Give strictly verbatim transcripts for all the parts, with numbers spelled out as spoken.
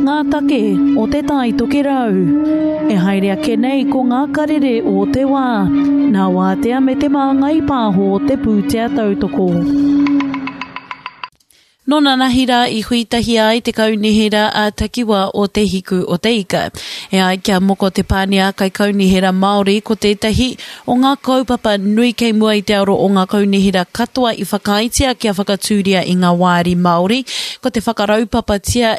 ngā take o Te Tai Tokerau. E haere ake nei ko ngā karere o te wā, nā Wātea me Te Māngai Pāho te pūtea tautoko. Nō nanahi rā i hui tahi ai te kaunihera a takiwa o Te Hiku o Te Ika. E ai kia Moko Te Pānia Kaikaunihera Māori ko tētahi o ngā kaupapa nui kei mua i te aro o ngā kaunihera katoa i whakaaetia kia whakatūria i ngā wāri Māori, ko te whakaraupapatia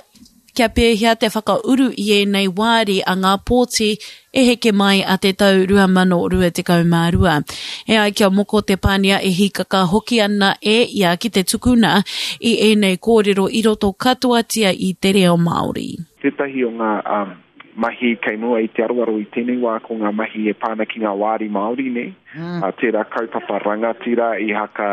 kia pēhea te whakauru i ēnei wāri a ngā pōti e heke mai a te tau rua mano rua tekau mā rua. E ai kia Moko Te Pānia e hīkaka hoki ana e ia ki te tukuna i ēnei kōrero i roto katoatia i te reo Māori. Tētahi o ngā um, mahi kei mua i te aroaro i tēnei wā ko ngā mahi e pā ana ki ngā wāri Māori nei. Mm. Uh, tērā kaupapa rangatira i haka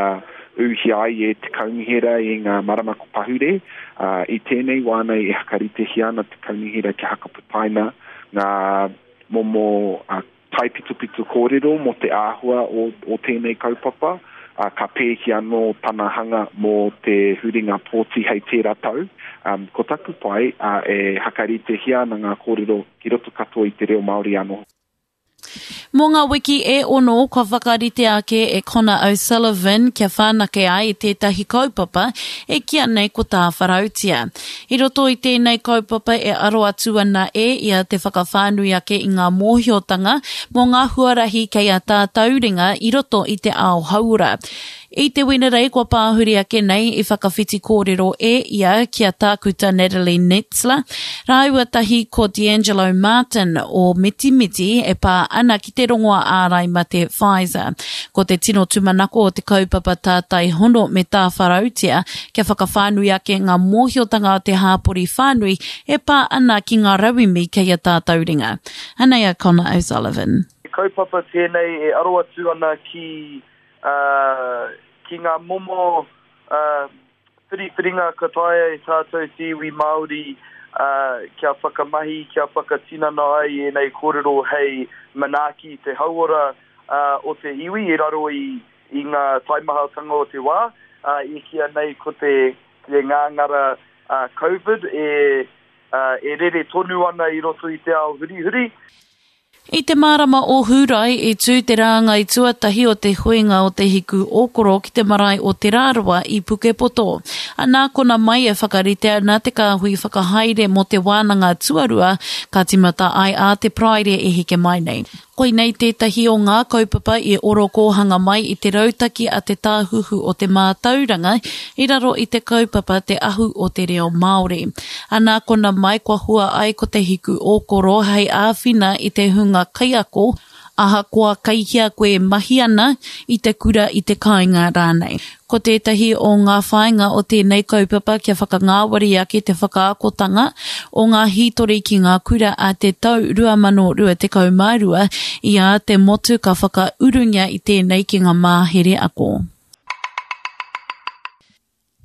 uhi ai e te kaunihera i ngā marama ko pahure. Uh, i tēnei wā nei e whakaritehia ana te kaunihera kia hakaputaina ngā momo uh, taipitopito kōrero mō te āhua o, o tēnei kaupapa. Uh, ka pēhi anō tana hanga mō te huringa pōti hei tērā tau. Um, ko taku pai, uh, e whakaritehia ana ngā kōrero ki roto katoa i te reo Māori anō. Mō ngā wiki e ono kua whakaritea ake e Connor O'Sullivan kia whanake ai tētahi kaupapa e kīa nei ko Tāwharautia. I roto i tēnei kaupapa e aro atu ana e ia te whakawhānui ake i ngā mōhiotanga mō ngā huarahi kei a tātou ringa i roto i te ao hauora. I te Wenerei kua pāhuri ake nei i whakawhiti kōrero e ia ki a Tākuta Natalie Netzler, rāua tahi ko D'Angelo Martin o Mitimiti e pā ana ki te rongoa ārai mate Pfizer. Ko te tino tūmanako o te kaupapa tātai hono me Tāwharautia kia whakawhānui ake ngā mōhiotanga o te hāpori whānui e pā ana ki ngā rauemi kei a tātou ringa. Anei a Connor O'Sullivan. He kaupapa tēnei e aro atu ana ki Uh, ki ngā momo uh, whiriwhiringa ka taea e tātou te iwi Māori uh, kia whakamahi, kia whakatinana ai ēnei kōrero hei manaaki te hauora uh, o te iwi i raro i, i ngā taimahatanga o te wā. Uh, i kīa nei ko te, te ngāngara uh, COVID e, uh, e rere tonu ana i roto i te ao hurihuri. I te marama o Hūrae i tū te rāngai tuatahi o te huinga o Te Hiku Ōkoro ki te marae o Te Rarawa i Pukepoto. Anā kona mai e whakarite ana te kāhui whakahaere mō te wānanga tuarua ka timata ai a te Paraire e heke mai nei. Koinei tētahi o ngā kaupapa i orokōhanga mai i te rautaki a te Tāhuhu o te Mātauranga i raro i te kaupapa Te Ahu o te Reo Māori. Anā kona mai kua hua ai ko Te Hiku Ōkoro hei āwhina i te hunga kaiako, ahakoa kei hea koe e mahi ana i te kura i te kāinga rānei. Ko tētahi o ngā whāinga o tēnei kaupapa kia whakangāwari ake te whakaakotanga o ngā hītori ki ngā kura a te tau rua mano rua tekau mā rua i a te motu ka whakaurungia i tēnei ki ngā mahere ako.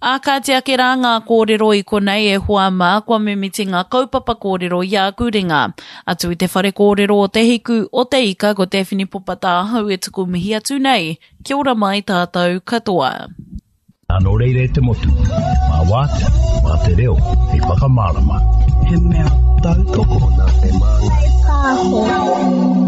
Ā, kāti ake rā ngā kōrero i konei e hoa mā, kua mimiti ngā kaupapa kōrero i āku ringa. Atu i te whare kōrero o Te Hiku, o Te Ika, ko Daphne Popata ahau e tuku mihi atu nei. Kia ora mai tātou katoa. Nō reira e te motu, mā wātea, mā te reo, hei whakamārama. He mea tautoko nā te Māngai Pāho.